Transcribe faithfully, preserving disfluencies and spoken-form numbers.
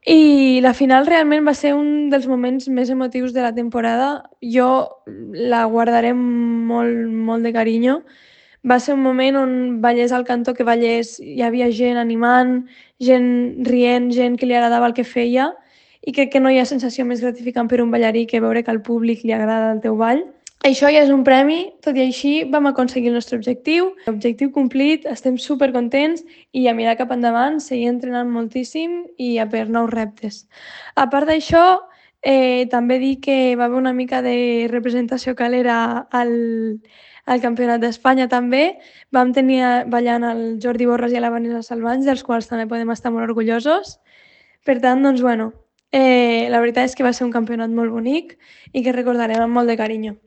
I la final realment va ser un dels moments més emotius de la temporada. Jo la guardaré amb molt, molt de carinyo. Va ser un moment on ballés al cantó que ballés, hi havia gent animant, gent rient, gent que li agradava el que feia, i crec que no hi ha sensació més gratificant per un ballarí que veure que al públic li agrada el teu ball. Això ja és un premi, tot i així vam aconseguir el nostre objectiu. Objectiu complit, estem supercontents i a mirar cap endavant, seguir entrenant moltíssim i a per nous reptes. A part d'això, eh, també dir que va haver una mica de representació calera al, al Campionat d'Espanya també. Vam tenir eh, ballant el Jordi Borràs i la Vanessa Salvans, dels quals també podem estar molt orgullosos. Per tant, doncs, bueno, eh, la veritat és que va ser un campionat molt bonic i que recordarem amb molt de carinyo.